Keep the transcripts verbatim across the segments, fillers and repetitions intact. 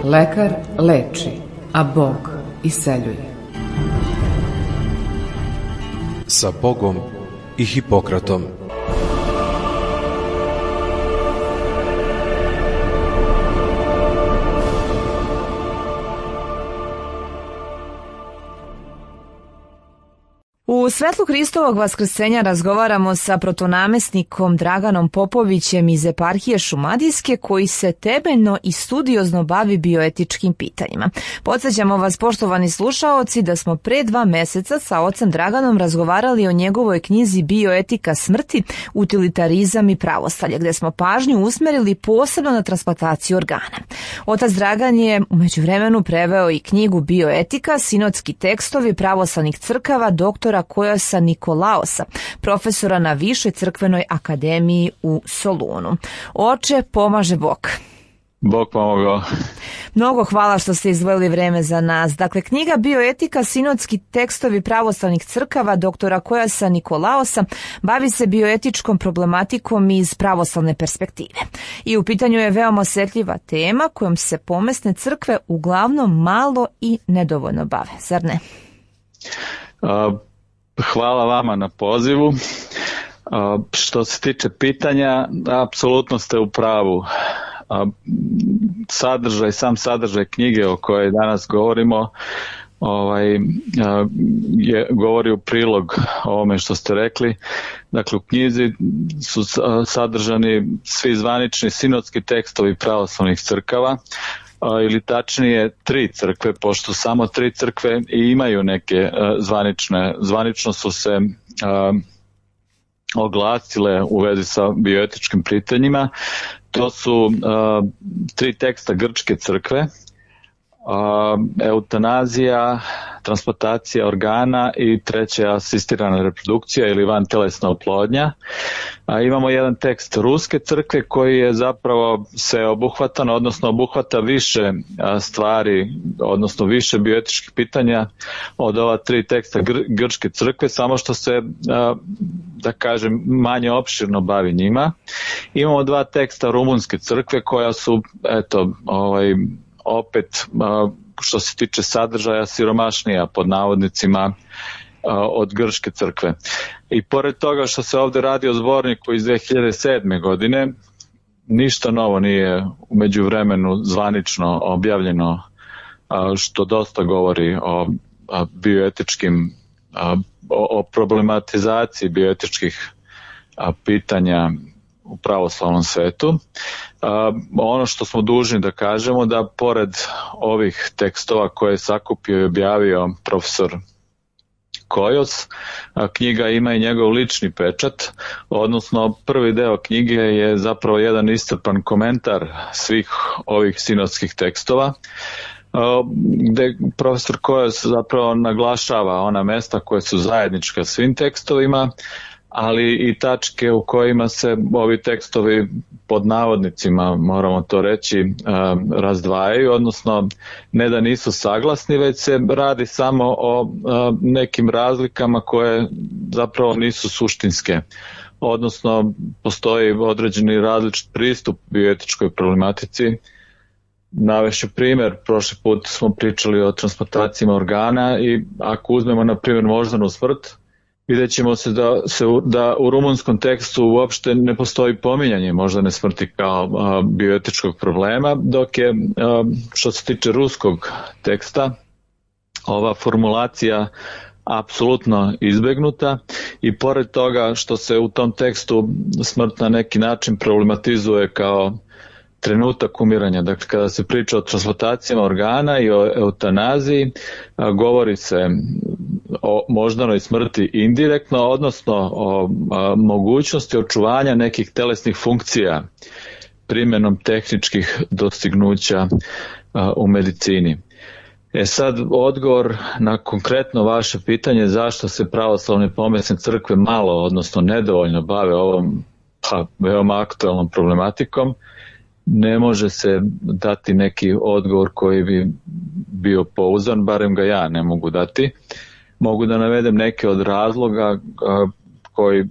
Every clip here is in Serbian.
Lekar leči, a Bog iseljuje. Sa Bogom i Hipokratom. U svetlu Hristovog vaskrsenja razgovaramo sa protonamestnikom Draganom Popovićem iz eparhije Šumadijske, koji se temeljno i studiozno bavi bioetičkim pitanjima. Podsjećamo vas, poštovani slušaoci, da smo pre dva meseca sa ocem Draganom razgovarali o njegovoj knjizi Bioetika smrti, utilitarizam i pravostalje, gde smo pažnju usmerili posebno na transplantaciju organa. Otac Dragan je u međuvremenu preveo i knjigu Bioetika, sinodski tekstovi pravoslavnih crkava doktora Kojosa Nikolaosa, profesora na Višoj crkvenoj akademiji u Solunu. Oče, pomaže Bog. Bog pomogao. Mnogo hvala što ste izdvojili vreme za nas. Dakle, knjiga Bioetika, sinodski tekstovi pravoslavnih crkava doktora Kojosa Nikolaosa bavi se bioetičkom problematikom iz pravoslavne perspektive. I u pitanju je veoma osjetljiva tema kojom se pomesne crkve uglavnom malo i nedovoljno bave, zar ne? Uh, hvala vama na pozivu. Uh, što se tiče pitanja, apsolutno ste u pravu. Sadržaj, sam sadržaj knjige o kojoj danas govorimo ovaj, je, govori u prilog ovome što ste rekli. Dakle, u knjizi su sadržani svi zvanični sinodski tekstovi pravoslavnih crkava, ili tačnije tri crkve, pošto samo tri crkve i imaju neke zvanične, zvanično su se oglasile u vezi sa bioetičkim pitanjima. To su uh, tri teksta grčke crkve, uh, eutanazija, transplantacija organa i treća asistirana reprodukcija ili vantelesna oplodnja. Uh, imamo jedan tekst ruske crkve koji je zapravo sveobuhvatan, odnosno obuhvata više uh, stvari, odnosno više bioetičkih pitanja od ova tri teksta gr- grčke crkve, samo što se, uh, da kažem, manje opširno bavi njima. Imamo dva teksta rumunske crkve koja su, eto, ovaj, opet, što se tiče sadržaja, siromašnija pod navodnicima od grčke crkve. I pored toga što se ovde radi o zborniku iz dve hiljade sedme. godine, ništa novo nije u međuvremenu zvanično objavljeno, što dosta govori o bioetičkim, o problematizaciji bioetičkih pitanja u pravoslavnom svetu. Uh, ono što smo dužni da kažemo, da pored ovih tekstova koje je sakupio i objavio profesor Kojos, a knjiga ima i njegov lični pečat, odnosno prvi deo knjige je zapravo jedan iscrpan komentar svih ovih sinodskih tekstova, uh, gde profesor Kojos zapravo naglašava ona mesta koje su zajednička svim tekstovima, ali i tačke u kojima se ovi tekstovi pod navodnicima, moramo to reći, razdvajaju, odnosno ne da nisu saglasni, već se radi samo o nekim razlikama koje zapravo nisu suštinske. Odnosno, postoji određeni različit pristup bioetičkoj problematici. Navešću primjer, prošli put smo pričali o transplantacijama organa i ako uzmemo, na primjer, moždanu smrt, vidjet ćemo se da, se da u rumunskom tekstu uopšte ne postoji pominjanje moždane smrti kao a, bioetičkog problema, dok je, a, što se tiče ruskog teksta, ova formulacija apsolutno izbegnuta i pored toga što se u tom tekstu smrt na neki način problematizuje kao trenutak umiranja. Dakle, kada se priča o transplantacijama organa i o eutanaziji, a, govori se o moždanoj smrti indirektno, odnosno o a, mogućnosti očuvanja nekih telesnih funkcija primjenom tehničkih dostignuća a, u medicini. E sad, odgovor na konkretno vaše pitanje zašto se pravoslavne pomesne crkve malo, odnosno nedovoljno bave ovom pa, veoma aktualnom problematikom, ne može se dati neki odgovor koji bi bio pouzdan, barem ga ja ne mogu dati. Mogu da navedem neke od razloga koji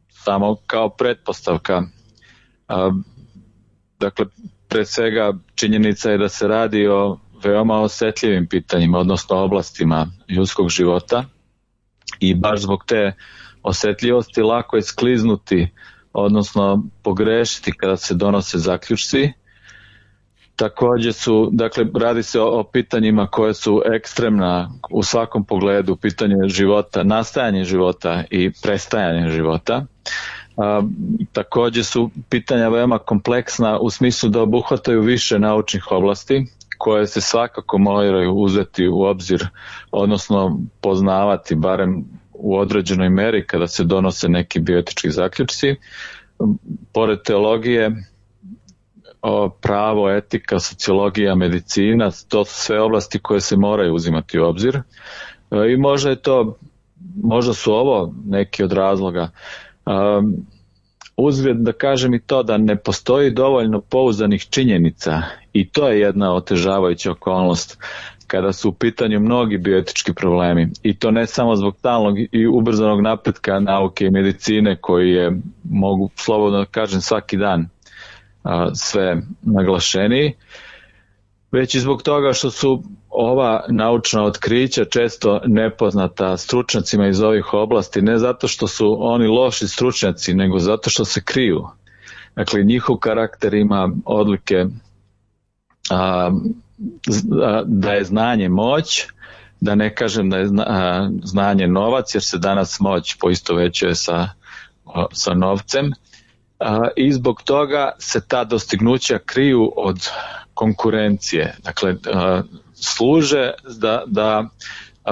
samo kao pretpostavka. Dakle, pre svega činjenica je da se radi o veoma osetljivim pitanjima, odnosno oblastima ljudskog života i baš zbog te osetljivosti lako je skliznuti, odnosno pogrešiti kada se donose zaključci. Također su, dakle, radi se o, o pitanjima koje su ekstremna u svakom pogledu, pitanje života, nastajanje života i prestajanje života. A, također su pitanja veoma kompleksna u smislu da obuhvataju više naučnih oblasti koje se svakako moraju uzeti u obzir, odnosno poznavati barem u određenoj meri kada se donose neki bioetički zaključci. Pored teologije, pravo, etika, sociologija, medicina, to su sve oblasti koje se moraju uzimati u obzir. I možda je to, možda su ovo neki od razloga. Uzgled da kažem i to da ne postoji dovoljno pouzdanih činjenica i to je jedna otežavajuća okolnost kada su u pitanju mnogi bioetički problemi i to ne samo zbog stalnog i ubrzanog napretka nauke i medicine koji je, mogu slobodno da kažem, svaki dan a, sve naglašeniji, već i zbog toga što su ova naučna otkrića često nepoznata stručnjacima iz ovih oblasti, ne zato što su oni loši stručnjaci, nego zato što se kriju. Dakle, njihov karakter ima odlike a, da je znanje moć, da ne kažem da je znanje novac, jer se danas moć poistovećuje sa, sa novcem, i zbog toga se ta dostignuća kriju od konkurencije. Dakle, služe da, da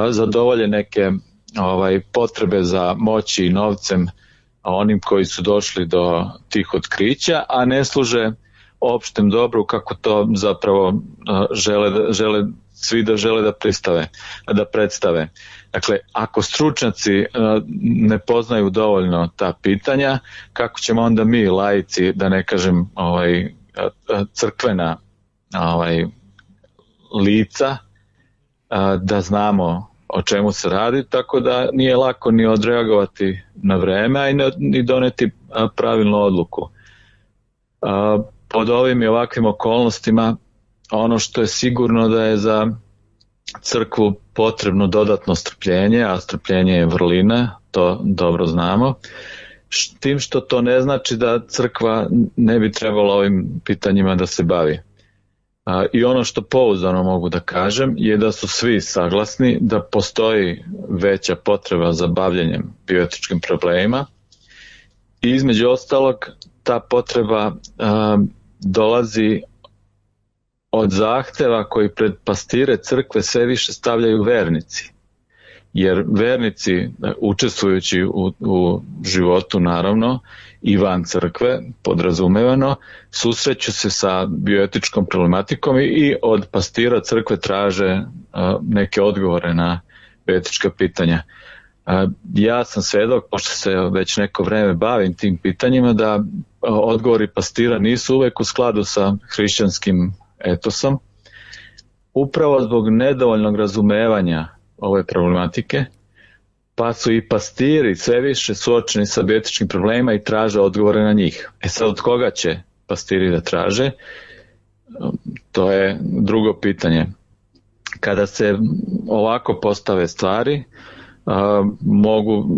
zadovolje neke ovaj, potrebe za moći i novcem onim koji su došli do tih otkrića, a ne služe opštem dobru kako to zapravo žele, žele svi da žele da pristave, da predstave. Dakle, ako stručnjaci ne poznaju dovoljno ta pitanja, kako ćemo onda mi, laici, da ne kažem ovaj, crkvena ovaj, lica, da znamo o čemu se radi, tako da nije lako ni odreagovati na vreme, a i ni doneti pravilnu odluku. Pod ovim i ovakvim okolnostima ono što je sigurno da je za crkvu potrebno dodatno strpljenje, a strpljenje je vrlina, to dobro znamo, tim što to ne znači da crkva ne bi trebala ovim pitanjima da se bavi. I ono što pouzdano mogu da kažem je da su svi saglasni da postoji veća potreba za bavljenjem bioetičkim problemima i između ostalog ta potreba a, dolazi od zahteva koji pred pastire crkve sve više stavljaju vernici. Jer vernici, učestvujući u, u životu naravno i van crkve, podrazumevano, susreću se sa bioetičkom problematikom i, i od pastira crkve traže a, neke odgovore na bioetička pitanja. A, ja sam svedok, pošto se već neko vreme bavim tim pitanjima, da a, odgovori pastira nisu uvek u skladu sa hrišćanskim etosom, upravo zbog nedovoljnog razumevanja ove problematike, pa su i pastiri sve više suočeni sa bioetičkim problemima i traže odgovore na njih. E sad, od koga će pastiri da traže? To je drugo pitanje. Kada se ovako postave stvari, a, mogu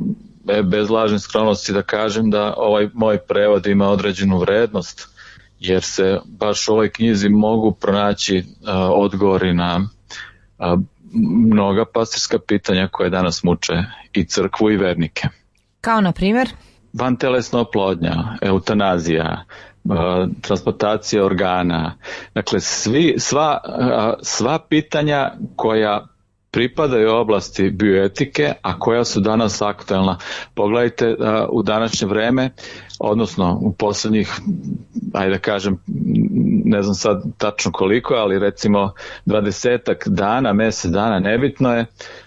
bez lažne skromnosti da kažem da ovaj moj prevod ima određenu vrednost, jer se baš u ovoj knjizi mogu pronaći a, odgovori na a, mnoga pastirska pitanja koje danas muče i crkvu i vernike. Kao na primjer? Vantelesna oplodnja, eutanazija, a, transplantacija organa, dakle svi, sva, a, sva pitanja koja pripadaju oblasti bioetike, a koja su danas aktualna. Pogledajte a, u današnje vreme, odnosno u poslednjih, ajde da kažem, ne znam sad tačno koliko, ali recimo dvadesetak dana, mesec dana, nebitno je,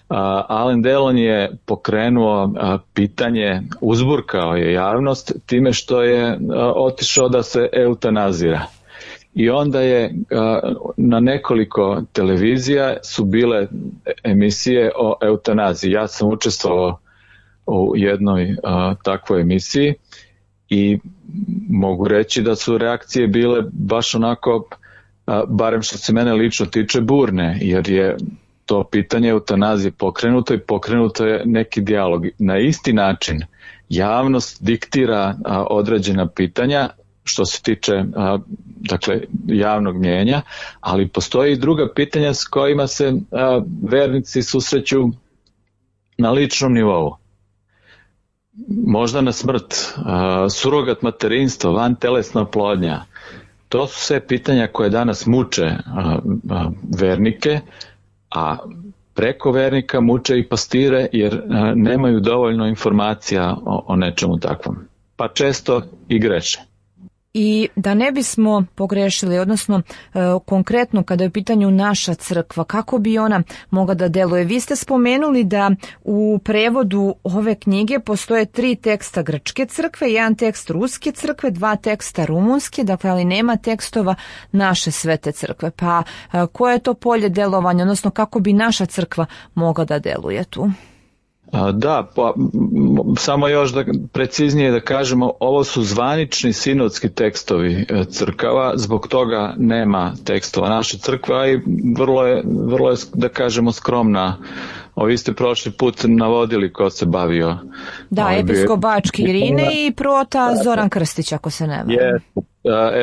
a, Alain Delon je pokrenuo a, pitanje, uzburkao je javnost time što je a, otišao da se eutanazira. I onda je a, na nekoliko televizija su bile emisije o eutanaziji. Ja sam učestvovao u jednoj a, takvoj emisiji i mogu reći da su reakcije bile baš onako, barem što se mene lično tiče, burne, jer je to pitanje eutanazije pokrenuto i pokrenuto je neki dijalog. Na isti način javnost diktira određena pitanja što se tiče dakle, javnog mnijenja, ali postoji i druga pitanja s kojima se vernici susreću na ličnom nivou. Možda na smrt, surogat materinstvo, vantelesna oplodnja. To su sve pitanja koje danas muče vernike, a preko vernika muče i pastire jer nemaju dovoljno informacija o, o nečemu takvom. Pa često i greše. I da ne bismo pogrešili, odnosno e, konkretno kada je u pitanju naša crkva, kako bi ona mogla da deluje? Vi ste spomenuli da u prevodu ove knjige postoje tri teksta grčke crkve, jedan tekst ruske crkve, dva teksta rumunske, dakle ali nema tekstova naše svete crkve. Pa e, koje je to polje delovanja, odnosno kako bi naša crkva mogla da deluje tu? Da, pa, samo još da preciznije da kažemo, ovo su zvanični sinodski tekstovi crkava, zbog toga nema tekstova naše crkve i vrlo je, vrlo je da kažemo skromna. Ovi ste prošli put navodili ko se bavio. Da, episkop Bački Irine i prota Zoran Krstić, ako se ne varam. Je,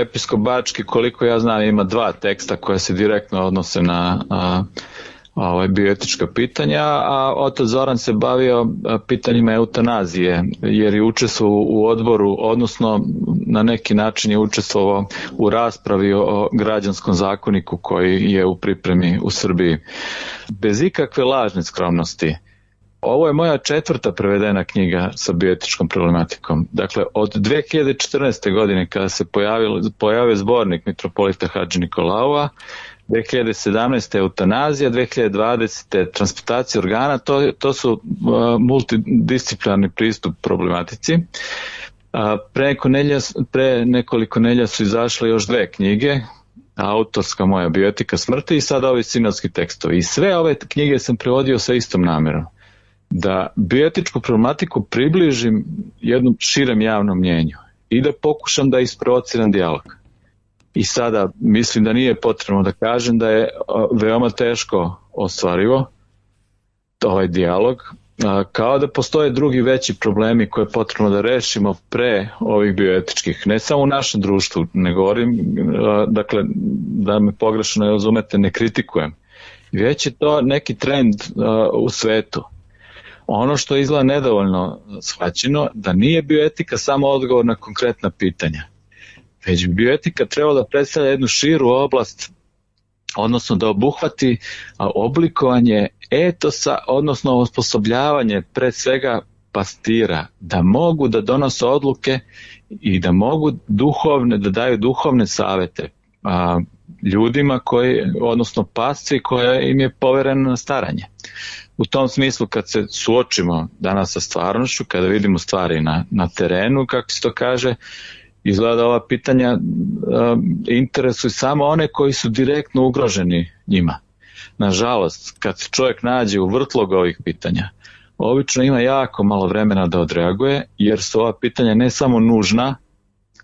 episkop Bački, koliko ja znam, ima dva teksta koja se direktno odnose na a, Ovo, bioetička pitanja, a otac Zoran se bavio pitanjima eutanazije, jer je učestvovao u odboru, odnosno na neki način je učestvovao u raspravi o građanskom zakoniku koji je u pripremi u Srbiji. Bez ikakve lažne skromnosti. Ovo je moja četvrta prevedena knjiga sa bioetičkom problematikom. Dakle, od dve hiljade četrnaeste. godine kada se pojavio, pojavio zbornik mitropolita Hadži Nikolaova, dve hiljade sedamnaeste. eutanazija, dve hiljade dvadesete. transplantacija organa, to, to su uh, multidisciplinarni pristup problematici. Uh, pre, neko nelja, pre nekoliko nelja su izašle još dve knjige, autorska moja bioetika smrti i sada ovi sinodski tekstovi. I sve ove knjige sam prevodio sa istom namjerom, da bioetičku problematiku približim jednom širem javnom mnjenju i da pokušam da isprovociram dijalog. I sada mislim da nije potrebno da kažem da je veoma teško ostvarivo ovaj dijalog, kao da postoje drugi veći problemi koje je potrebno da rešimo pre ovih bioetičkih, ne samo u našem društvu, ne govorim, dakle, da me pogrešno ne razumete, ne kritikujem, već je to neki trend u svetu. Ono što izgleda nedovoljno shvaćeno, da nije bioetika samo odgovor na konkretna pitanja, već bi bioetika trebala da predstavlja jednu širu oblast, odnosno da obuhvati oblikovanje etosa, odnosno osposobljavanje pre svega pastira, da mogu da donose odluke i da mogu duhovne, da daju duhovne savete a, ljudima koji, odnosno pasci koja im je poverena na staranje. U tom smislu kad se suočimo danas sa stvarnošću, kada vidimo stvari na, na terenu, kako se to kaže, izgleda ova pitanja uh, interesuju samo one koji su direktno ugroženi njima. Nažalost, kad se čovjek nađe u vrtlogu ovih pitanja, obično ima jako malo vremena da odreaguje, jer su ova pitanja ne samo nužna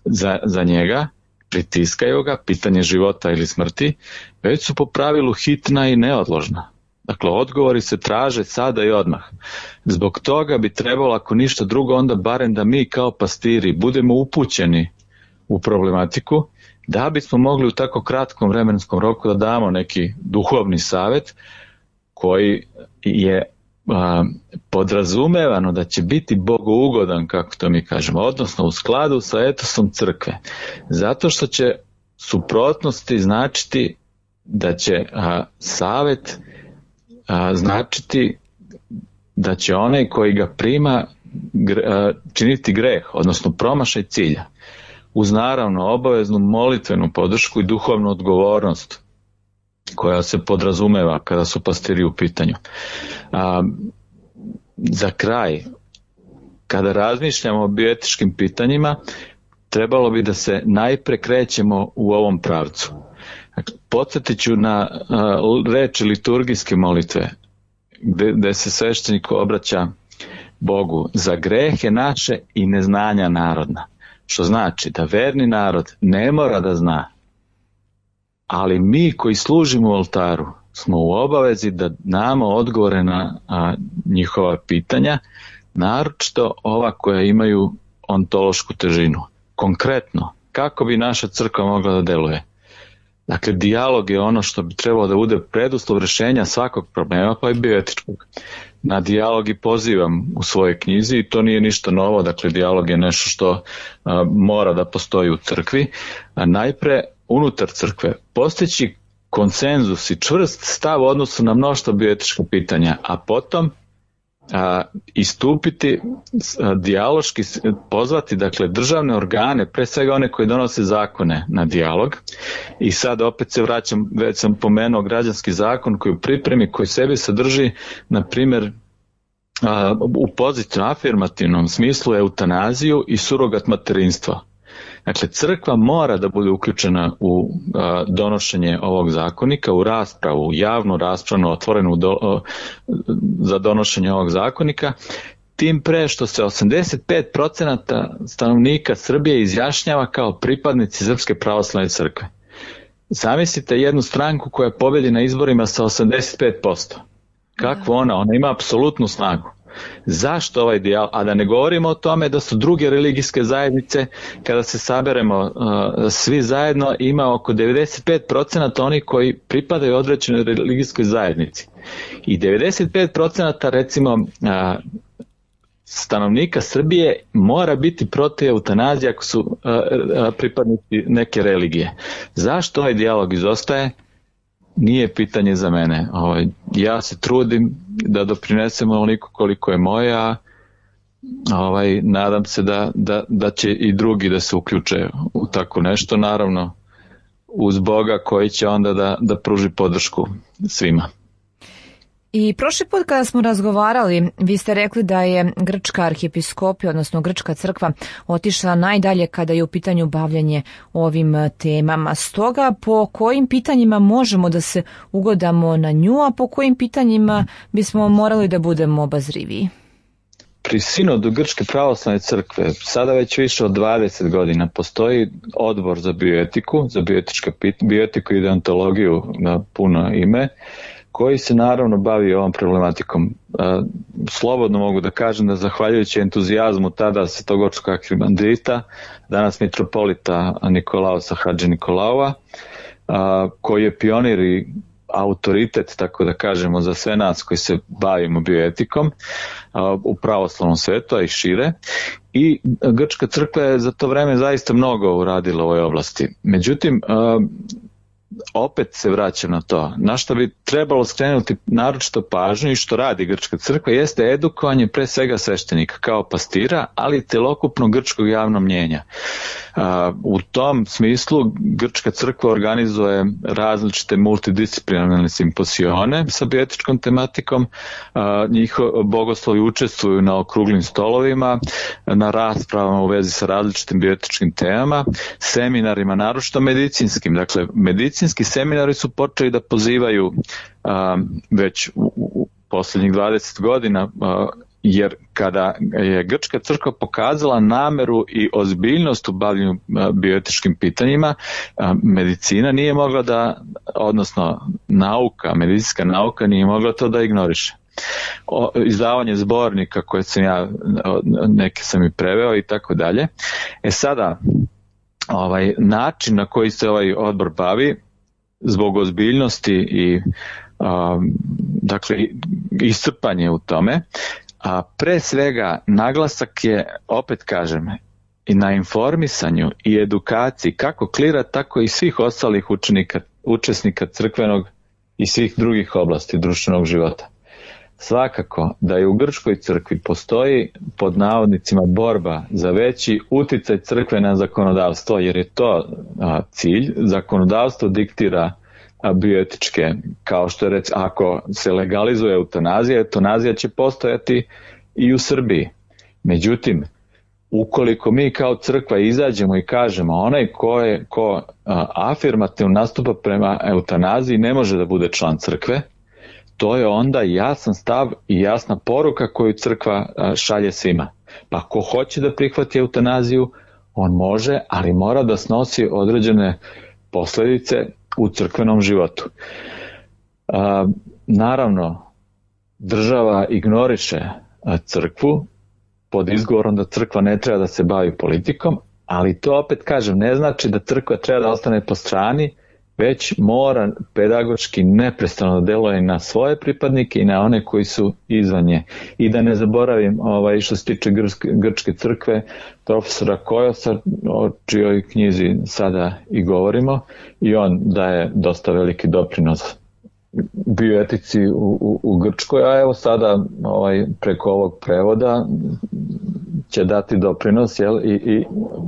za, za njega, pritiskaju ga, pitanje života ili smrti, već su po pravilu hitna i neodložna. Dakle, odgovori se traže sada i odmah. Zbog toga bi trebalo, ako ništa drugo, onda barem da mi kao pastiri budemo upućeni u problematiku, da bismo mogli u tako kratkom vremenskom roku da damo neki duhovni savet koji je a, podrazumevano da će biti bogougodan, kako to mi kažemo, odnosno u skladu sa etosom crkve. Zato što će suprotnosti značiti da će a, savet a, značiti da će onaj koji ga prima gre, a, činiti greh, odnosno promašaj cilja, uz naravno obaveznu molitvenu podršku i duhovnu odgovornost koja se podrazumeva kada su pastiri u pitanju. A, za kraj, kada razmišljamo o bioetičkim pitanjima, trebalo bi da se najpre krećemo u ovom pravcu. Podsjetit ću na a, reči liturgijske molitve, gde, gde se sveštenik obraća Bogu: za grehe naše i neznanja narodna. Što znači da verni narod ne mora da zna, ali mi koji služimo u oltaru smo u obavezi da damo odgovore na a, njihova pitanja, naročito ova koja imaju ontološku težinu. Konkretno, kako bi naša crkva mogla da deluje? Dakle, dijalog je ono što bi trebalo da bude preduslov rešenja svakog problema, pa i bioetičkog. Na dijalog i pozivam u svojoj knjizi i to nije ništa novo, dakle dijalog je nešto što a, mora da postoji u crkvi. A najpre, unutar crkve, postići konsenzus i čvrst stav u odnosu na mnoštvo bioetička pitanja, a potom a, istupiti a, dijaloški, pozvati dakle državne organe, pre svega one koji donose zakone, na dijalog. I sad opet se vraćam, već sam pomenuo građanski zakon koji u pripremi, koji sebi sadrži, na primjer, a, u pozitivnom, afirmativnom smislu eutanaziju i surogat materinstvo. Dakle, crkva mora da bude uključena u a, donošenje ovog zakonika, u raspravu, u javnu raspravu, otvorenu do, a, za donošenje ovog zakonika, tim pre što se osamdeset pet procenata stanovnika Srbije izjašnjava kao pripadnici Srpske pravoslavne crkve. Zamislite jednu stranku koja pobedi na izborima sa osamdeset pet posto. Kakvo ona? Ona ima apsolutnu snagu. Zašto ovaj dijalog? A da ne govorimo o tome da su druge religijske zajednice, kada se saberemo uh, svi zajedno, ima oko devedeset pet procenata oni koji pripadaju određenoj religijskoj zajednici. I devedeset pet procenata recimo uh, stanovnika Srbije mora biti protiv eutanazije ako su uh, uh, pripadnici neke religije. Zašto ovaj dijalog izostaje? Nije pitanje za mene. Ovaj, ja se trudim da doprinesem onoliko koliko je moja, ovaj, nadam se da, da, da će i drugi da se uključe u tako nešto, naravno uz Boga koji će onda da, da pruži podršku svima. I prošli put kada smo razgovarali, vi ste rekli da je grčka arhijepiskopija, odnosno grčka crkva, otišla najdalje kada je u pitanju bavljanje ovim temama. Stoga, po kojim pitanjima možemo da se ugodamo na nju, a po kojim pitanjima bismo morali da budemo obazriviji? Pri sinodu Grčke pravoslavne crkve sada već više od dvadeset godina postoji odbor za bioetiku, za bioetička pitanja, bioetiku i deontologiju na puno ime, koji se naravno bavi ovom problematikom. Slobodno mogu da kažem da zahvaljujući entuzijazmu tada svetogorskog arhimandrita, danas mitropolita Nikolaosa Hadži Nikolaova, koji je pionir i autoritet, tako da kažemo, za sve nas koji se bavimo bioetikom u pravoslavnom svetu, a i šire. I Grčka crkva je za to vreme zaista mnogo uradila u ovoj oblasti. Međutim, opet se vraćam na to, na što bi trebalo skrenuti naročito pažnju i što radi Grčka crkva jeste edukovanje pre svega sveštenika kao pastira, ali i celokupnog grčkog javnog mnjenja. U tom smislu Grčka crkva organizuje različite multidisciplinarne simposione sa bioetičkom tematikom, njihovi bogoslovi učestvuju na okruglim stolovima, na raspravama u vezi sa različitim bioetičkim temama, seminarima, naročito medicinskim. Dakle, medicinski seminari su počeli da pozivaju a, već u, u posljednjih dvadeset godina, a, jer kada je Grčka crkva pokazala nameru i ozbiljnost u bavljenju bioetičkim pitanjima, a, medicina nije mogla da, odnosno nauka, medicinska nauka nije mogla to da ignoriše. O, izdavanje zbornika koje sam ja, neke sam i preveo i tako dalje. E sada, ovaj način na koji se ovaj odbor bavi, zbog ozbiljnosti i um, dakle iscrpanje u tome, a pre svega naglasak je, opet kažem, i na informisanju i edukaciji kako klira, tako i svih ostalih učenika, učesnika crkvenog i svih drugih oblasti društvenog života. Svakako da je u Grčkoj crkvi postoji pod navodnicima borba za veći uticaj crkve na zakonodavstvo, jer je to a, cilj. Zakonodavstvo diktira a, bioetičke, kao što je rec, ako se legalizuje eutanazija, eutanazija će postojati i u Srbiji. Međutim, ukoliko mi kao crkva izađemo i kažemo onaj ko, je, ko a, afirmativno nastupa prema eutanaziji ne može da bude član crkve, to je onda jasan stav i jasna poruka koju crkva šalje svima. Pa ko hoće da prihvati eutanaziju, on može, ali mora da snosi određene posledice u crkvenom životu. A, naravno, država ignoriše crkvu pod izgovorom da crkva ne treba da se bavi politikom, ali to opet kažem, ne znači da crkva treba da ostane po strani, već mora pedagoški neprestano da deluje na svoje pripadnike i na one koji su izvan nje. I da ne zaboravim, ovaj, što se tiče grčke, grčke crkve, profesora Kojosa, o čijoj knjizi sada i govorimo, i on daje dosta veliki doprinos bioetici u, u, u Grčkoj, a evo sada ovaj, preko ovog prevoda će dati doprinos, jel, i, i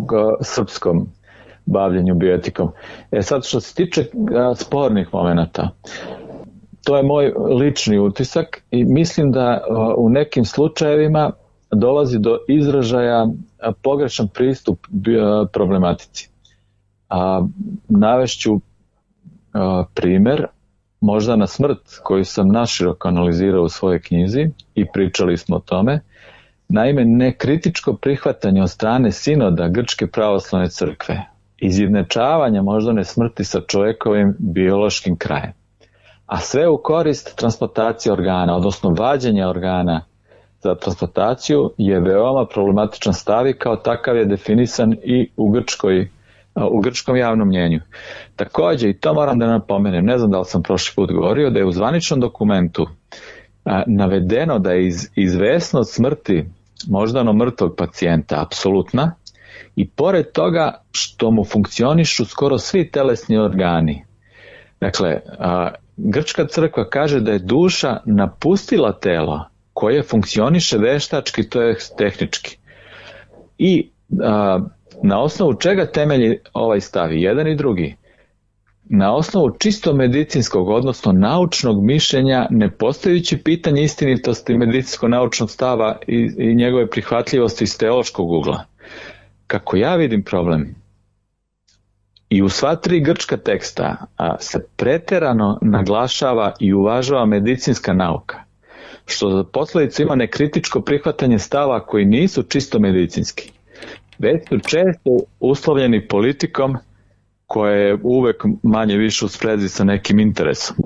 go, srpskom bavljenju bioetikom. E sad, što se tiče a, spornih momenata, to je moj lični utisak i mislim da a, u nekim slučajevima dolazi do izražaja a, pogrešan pristup bio, problematici. A, navešću a, primer, možda na smrt, koju sam naširoko analizirao u svojoj knjizi i pričali smo o tome. Naime, nekritičko prihvatanje od strane sinoda Grčke pravoslavne crkve, izjednačavanja moždane smrti sa čovjekovim biološkim krajem, a sve u korist transplantacije organa, odnosno vađenja organa za transplantaciju, je veoma problematičan stav i kao takav je definisan i u Grčkoj u grčkom javnom mnjenju. Također, i to moram da napomenem, ne znam da li sam prošli put govorio, da je u zvaničnom dokumentu a, navedeno da je iz, izvesnost smrti moždano mrtvog pacijenta apsolutna i pored toga što mu funkcionišu skoro svi telesni organi. Dakle, a, grčka crkva kaže da je duša napustila telo koje funkcioniše veštački, to je tehnički. I a, na osnovu čega temelji ovaj stav, jedan i drugi? Na osnovu čisto medicinskog, odnosno naučnog mišljenja, ne postojući pitanje istinitosti medicinsko-naučnog stava i, i njegove prihvatljivosti iz teološkog ugla. Kako ja vidim problem, i u sva tri grčka teksta a, se preterano naglašava i uvažava medicinska nauka, što za posledicu ima nekritičko prihvatanje stava koji nisu čisto medicinski, već su često uslovljeni politikom koja je uvek manje više u sprezi sa nekim interesom.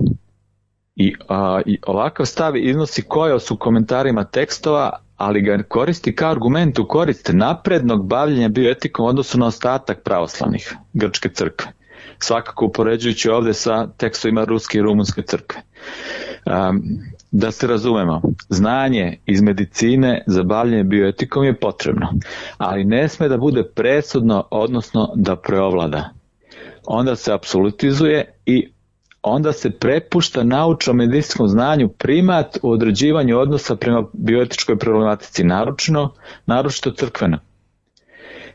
I, a, i ovakav stav iznosi Kojos u komentarima tekstova, ali ga koristi kao argument u korist naprednog bavljenja bioetikom u odnosu na ostatak pravoslavnih grčke crkve. Svakako upoređujući ovdje sa tekstovima ruske i rumunske crkve. Um, da se razumemo, znanje iz medicine za bavljenje bioetikom je potrebno, ali ne sme da bude presudno, odnosno da preovlada. Onda se apsolutizuje i onda se prepušta naučno medicinskom znanju primat u određivanju odnosa prema bioetičkoj problematici, naročito, naročito crkveno.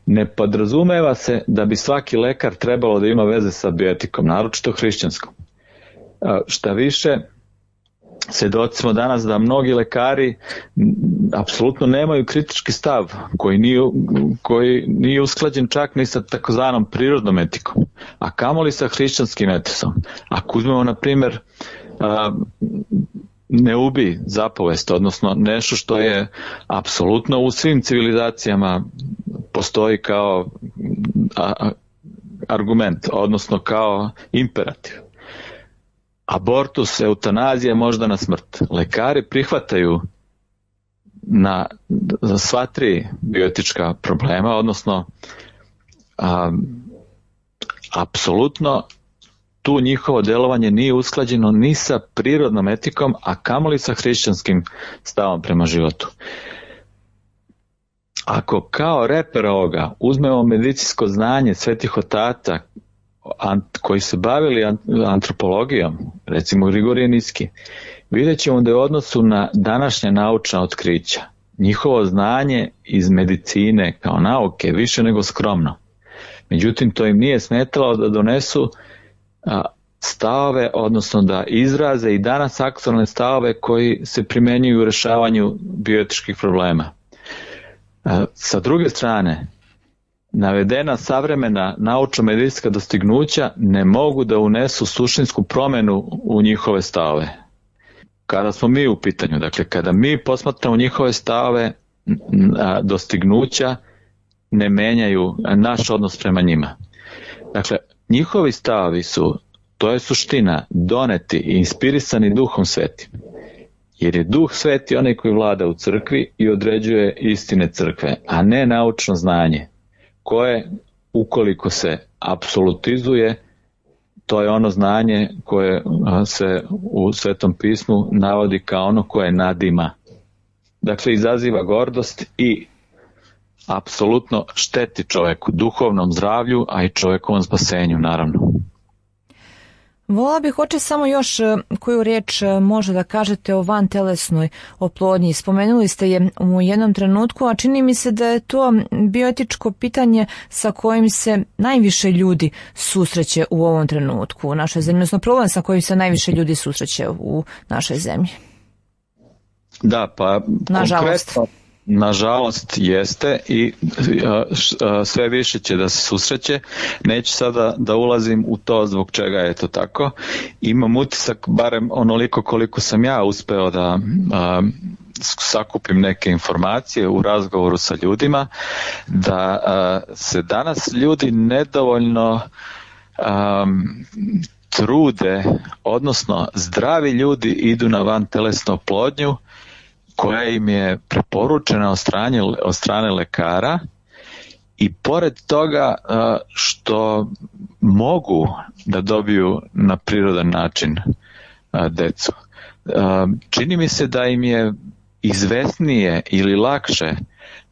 Ne podrazumeva se da bi svaki lekar trebalo da ima veze sa bioetikom, naročito hrišćanskom. Šta više, svedoci smo danas da mnogi lekari apsolutno nemaju kritički stav koji nije, koji nije usklađen čak ni sa takozvanom prirodnom etikom, a kamoli sa hrišćanskim etisom. Ako uzmemo, na primjer, ne ubi zapovest, odnosno nešto što je apsolutno u svim civilizacijama postoji kao argument, odnosno kao imperativ. Abortus, eutanazija, možda na smrt. Lekari prihvataju na za sva tri bioetička problema, odnosno a, apsolutno tu njihovo delovanje nije usklađeno ni sa prirodnom etikom, a kamoli sa hrišćanskim stavom prema životu. Ako kao reper ovoga uzmemo medicinsko znanje svetih otaca koji se bavili antropologijom, recimo Grigorije Niski, vidjet ćemo da je u odnosu na današnja naučna otkrića njihovo znanje iz medicine kao nauke više nego skromno. Međutim, to im nije smetalo da donesu stavove, odnosno da izraze i danas aktualne stavove koji se primenjuju u rešavanju bioetičkih problema. Sa druge strane, navedena savremena naučno-medicinska dostignuća ne mogu da unesu suštinsku promjenu u njihove stavove. Kada smo mi u pitanju, dakle kada mi posmatramo njihove stavove, dostignuća ne menjaju naš odnos prema njima. Dakle, njihovi stavovi su, to je suština, doneti i inspirisani Duhom Svetim. Jer je Duh Sveti onaj koji vlada u crkvi i određuje istine crkve, a ne naučno znanje, koje, ukoliko se apsolutizuje, to je ono znanje koje se u Svetom pismu navodi kao ono koje nadima. Dakle, izaziva gordost i apsolutno šteti čoveku, duhovnom zdravlju, a i čovekovom spasenju, naravno. Volala bih hoće samo još koju riječ može da kažete o vantelesnoj oplodnji. Spomenuli ste je u jednom trenutku, a čini mi se da je to bioetičko pitanje sa kojim se najviše ljudi susreće u ovom trenutku u našoj zemlji, odnosno problem sa kojim se najviše ljudi susreće u našoj zemlji. Da, pa nažalost. Konkretno, nažalost jeste i sve više će da se susreće. Neću sada da ulazim u to zbog čega je to tako. Imam utisak, barem onoliko koliko sam ja uspeo da a, sakupim neke informacije u razgovoru sa ljudima, da a, se danas ljudi nedovoljno a, trude, odnosno zdravi ljudi idu na vantelesnu oplodnju koja im je preporučena od strane, od strane lekara, i pored toga što mogu da dobiju na prirodan način decu. Čini mi se da im je izvesnije ili lakše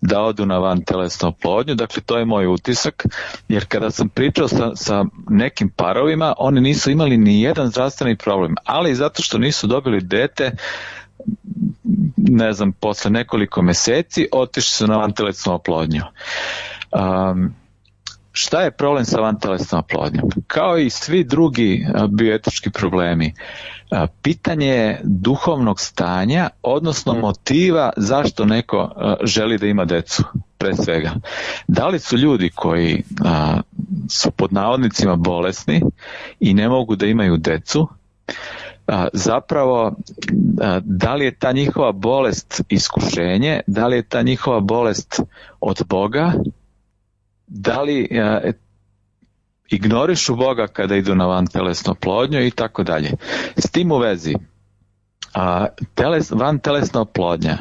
da odu na vantelesnu oplodnju, dakle to je moj utisak, jer kada sam pričao sa, sa nekim parovima, oni nisu imali ni jedan zdravstveni problem, ali zato što nisu dobili dete, ne znam, posle nekoliko meseci otišli su na vantelesnu oplodnju. Um, šta je problem sa vantelesnom oplodnjom? Kao i svi drugi bioetički problemi, pitanje je duhovnog stanja, odnosno motiva zašto neko želi da ima decu, pre svega. Da li su ljudi koji a, su pod navodnicima bolesni i ne mogu da imaju decu, a, zapravo a, da li je ta njihova bolest iskušenje, da li je ta njihova bolest od Boga, da li a, ignorišu Boga kada idu na vantelesnu oplodnju i tako dalje. S tim u vezi, a, teles, vantelesna oplodnja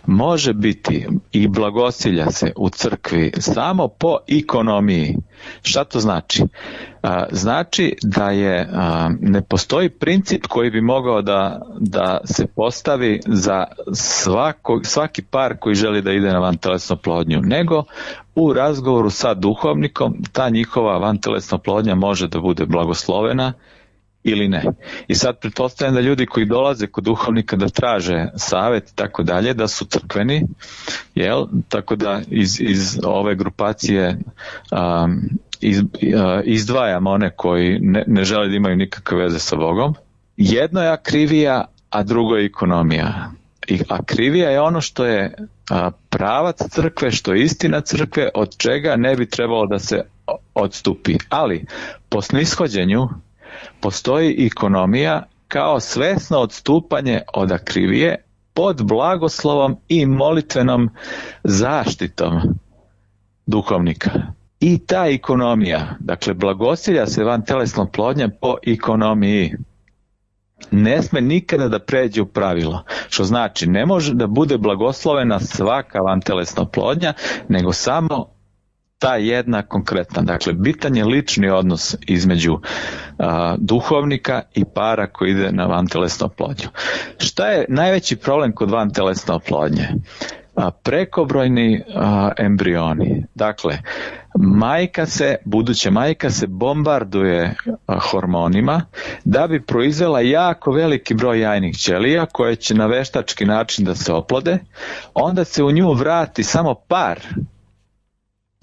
može biti i blagosilja se u crkvi samo po ekonomiji. Šta to znači? A, znači da je a, ne postoji princip koji bi mogao da, da se postavi za svako, svaki par koji želi da ide na vantelesnu oplodnju, nego u razgovoru sa duhovnikom ta njihova vantelesna oplodnja može da bude blagoslovena ili ne. I sad pretpostavljam da ljudi koji dolaze kod duhovnika da traže savjet i tako dalje, da su crkveni, jel? Tako da iz, iz ove grupacije um, iz, uh, izdvajam one koji ne, ne žele da imaju nikakve veze sa Bogom. Jedno je akrivija, a drugo je ekonomija. I akrivija je ono što je a, pravac crkve, što je istina crkve, od čega ne bi trebalo da se odstupi. Ali po snishođenju postoji ekonomija kao svesno odstupanje od akrivije pod blagoslovom i molitvenom zaštitom duhovnika. I ta ekonomija, dakle blagosilja se vantelesna oplodnja po ekonomiji, ne sme nikada da pređe u pravilo, što znači ne može da bude blagoslovena svaka vantelesna oplodnja, nego samo ta jedna konkretna. Dakle, bitan je lični odnos između a, duhovnika i para koji ide na vantelesnu oplodnju. Šta je najveći problem kod vantelesne oplodnje? A, prekobrojni a, embrioni. Dakle, majka se, buduća majka se bombarduje a, hormonima da bi proizvela jako veliki broj jajnih ćelija koje će na veštački način da se oplode, onda se u nju vrati samo par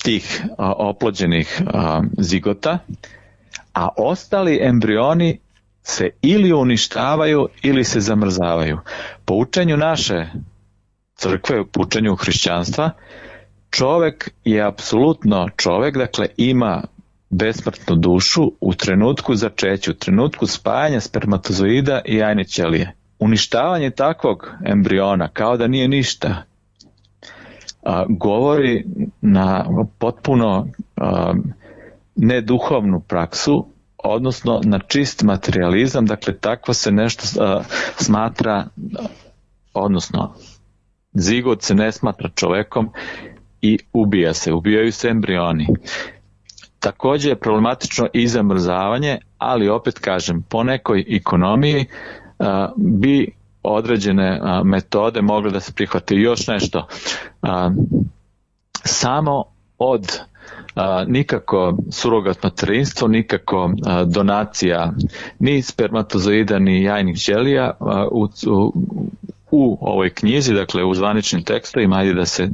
tih a, oplođenih a, zigota, a ostali embrioni se ili uništavaju ili se zamrzavaju. Po učenju naše crkve, po učenju hrišćanstva, čovek je apsolutno čovek, dakle ima besmrtnu dušu u trenutku začeća, u trenutku spajanja spermatozoida i jajne ćelije. Uništavanje takvog embriona kao da nije ništa, a, govori na potpuno a, neduhovnu praksu, odnosno na čist materijalizam, dakle takvo se nešto a, smatra, odnosno zigot se ne smatra čovekom i ubija se, ubijaju se embrioni. Također je problematično i zamrzavanje, ali opet kažem, po nekoj ekonomiji a, bi određene a, metode mogle da se prihvate. Još nešto, a, samo od a, nikako surogat materinstvo, nikako a, donacija ni spermatozoida ni jajnih ćelija a, u, u, u ovoj knjizi, dakle u zvaničnim tekstovima, ajde da se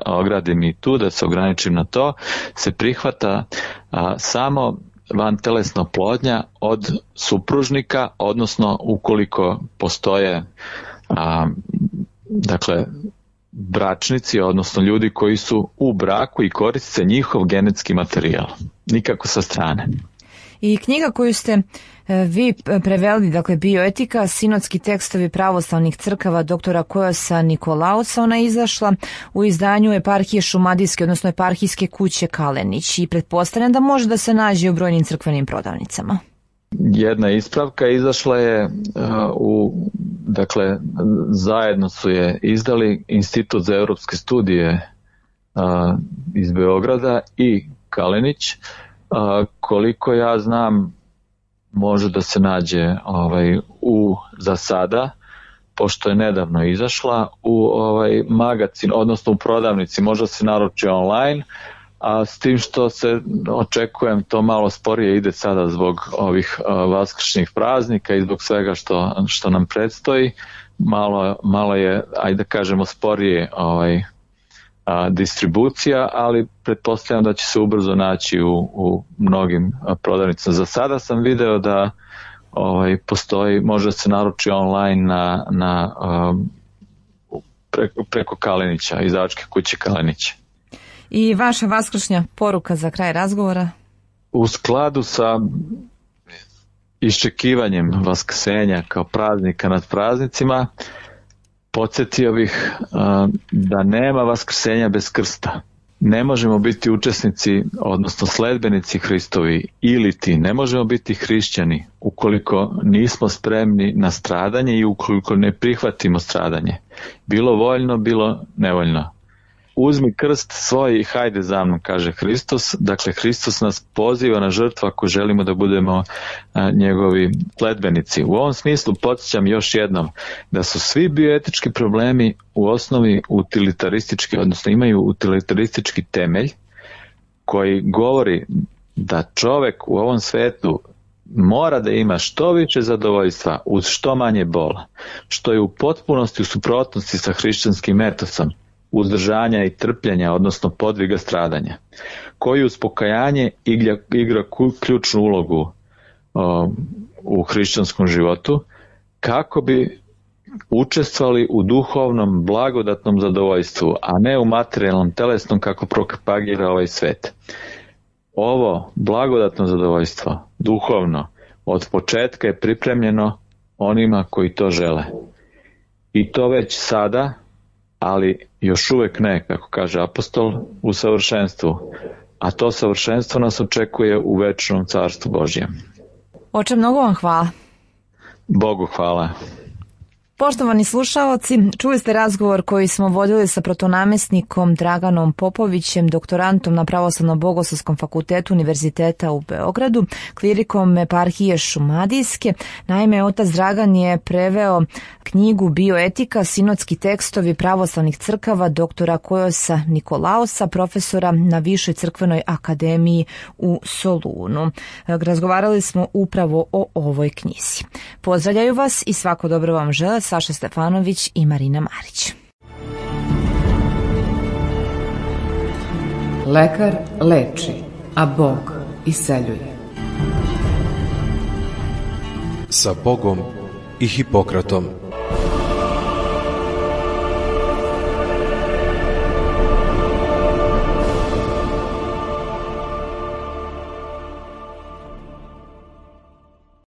ogradim i tu, da se ograničim na to, se prihvata a, samo vantelesna oplodnja od supružnika, odnosno ukoliko postoje a, dakle bračnici, odnosno ljudi koji su u braku i koriste njihov genetski materijal, nikako sa strane. I knjiga koju ste vi preveli, dakle Bioetika, sinodski tekstovi pravoslavnih crkava doktora Kojosa Nikolausa, ona je izašla u izdanju Eparhije Šumadijske, odnosno Eparhijske kuće Kalenić, i pretpostavljam da može da se nađe u brojnim crkvenim prodavnicama. Jedna ispravka, izašla je uh, u, dakle, zajedno su je izdali Institut za europske studije uh, iz Beograda i Kalenić. Uh, koliko ja znam, može da se nađe ovaj, u, za sada, pošto je nedavno izašla, u ovaj, magazin, odnosno u prodavnici, možda se naruči online, a s tim što se očekujem to malo sporije ide sada zbog ovih uh, vaskršnjih praznika i zbog svega što, što nam predstoji, malo, malo je, ajde da kažemo, sporije ovaj, a, distribucija, ali pretpostavljam da će se ubrzo naći u, u mnogim prodavnicama. Za sada sam video da ovaj, postoji, može se naruči online na, na, um, preko, preko Kalenića, izdavačke kuće Kalenića. I vaša vaskršnja poruka za kraj razgovora? U skladu sa iščekivanjem Vaskrsenja kao praznika nad praznicima, podsjetio bih uh, da nema vaskrsenja bez krsta. Ne možemo biti učesnici, odnosno sledbenici Hristovi, ili ti ne možemo biti hrišćani ukoliko nismo spremni na stradanje i ukoliko ne prihvatimo stradanje. Bilo voljno, bilo nevoljno. Uzmi krst svoj i hajde za mnom, kaže Hristos. Dakle, Hristos nas poziva na žrtvu ako želimo da budemo a, njegovi sledbenici. U ovom smislu podsjećam još jednom da su svi bioetički problemi u osnovi utilitaristički, odnosno imaju utilitaristički temelj koji govori da čovek u ovom svetu mora da ima što više zadovoljstva uz što manje bola, što je u potpunosti u suprotnosti sa hrišćanskim etosom uzdržanja i trpljenja, odnosno podviga stradanja, koji uz pokajanje igra, igra ključnu ulogu o, u hrišćanskom životu, kako bi učestvovali u duhovnom blagodatnom zadovoljstvu, a ne u materijalnom telesnom kako propagira ovaj svet. Ovo blagodatno zadovoljstvo, duhovno, od početka je pripremljeno onima koji to žele. I to već sada, ali još uvek ne, kako kaže apostol, u savršenstvu. A to savršenstvo nas očekuje u večnom carstvu Božjem. Oče, mnogo vam hvala. Bogu hvala. Poštovani slušaoci, čuli ste razgovor koji smo vodili sa protonamestnikom Draganom Popovićem, doktorantom na Pravoslavno-bogoslovskom fakultetu Univerziteta u Beogradu, klirikom Eparhije Šumadijske. Naime, otac Dragan je preveo knjigu Bioetika, sinodski tekstovi pravoslavnih crkava doktora Kojosa Nikolausa, profesora na Višoj crkvenoj akademiji u Solunu. Razgovarali smo upravo o ovoj knjizi. Pozdravljaju vas i svako dobro vam žele Saša Stefanović i Marina Marić. Lekar leči, a Bog iseljuje. Sa Bogom i Hipokratom.